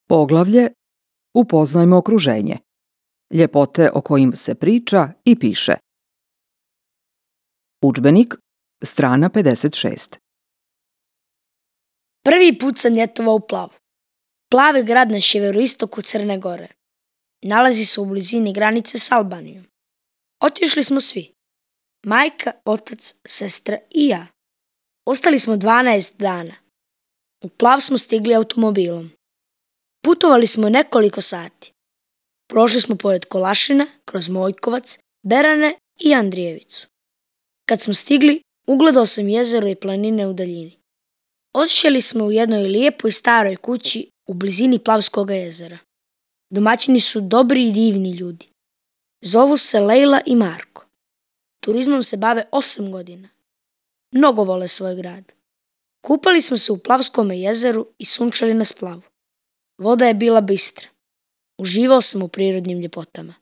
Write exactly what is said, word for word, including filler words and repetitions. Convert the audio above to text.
Poglavlje Upoznajmo okruženje. Ljepote o kojim se priča i piše. Udžbenik, strana pedeset šest. Prvi put sam ljetovao u Plavu. Plav je grad na sjeveroistoku Crne Gore. Nalazi se u blizini granice s Albanijom. Otišli smo svi. Majka, otac, sestra i ja. Ostali smo dvanaest dana. U Plav smo stigli automobilom. Putovali smo nekoliko sati. Prošli smo pored Kolašina, kroz Mojkovac, Berane i Andrijevicu. Kad smo stigli, ugledao sam jezero i planine u daljini. Odšli smo u jednoj lijepoj staroj kući u blizini Plavskog jezera. Domaćini su dobri i divni ljudi. Zovu se Lejla i Marko. Turizmom se bave osam godina. Mnogo vole svoj grad. Kupali smo se u Plavskom jezeru i sunčali na splavu. Voda je bila bistra. Uživao sam u prirodnim ljepotama.